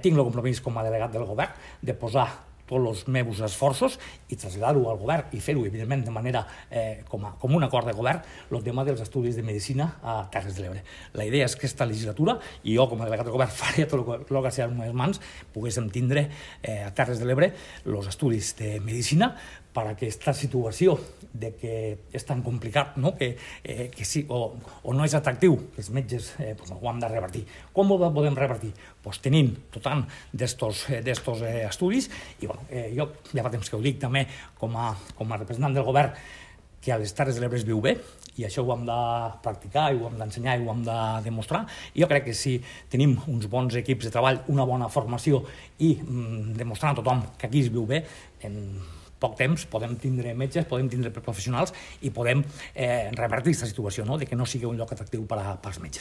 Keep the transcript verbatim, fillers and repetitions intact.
Tinc el compromís com a delegat del govern de posar tots els meus esforços i traslladar-ho al govern i fer-ho, evidentment, de manera eh, com, a, com un acord de govern, el tema dels estudis de medicina a Terres de l'Ebre. La idea és que aquesta legislatura, i jo com a delegat del govern faré tot el que sigui a les meves mans, poguéssim tindre eh, a Terres de l'Ebre els estudis de medicina per a aquesta situació de que és tan complicat, no? que, eh, que sí, o, o no és atractiu, que els metges eh, pues, ho hem de revertir. Com ho podem revertir? Pues tenint total d'estos eh, estudis, i bueno, eh, jo ja fa temps que ho dic també com a, com a representant del govern, que a les Terres de l'Ebre es viu bé, i això ho hem de practicar, i ho hem d'ensenyar, i ho hem de demostrar. I jo crec que si tenim uns bons equips de treball, una bona formació, i mm, demostrant a tothom que aquí es viu bé, en poc temps podem tindre metges, podem tindre professionals i podem eh, revertir aquesta situació, no? De que no sigui un lloc atractiu per als metges.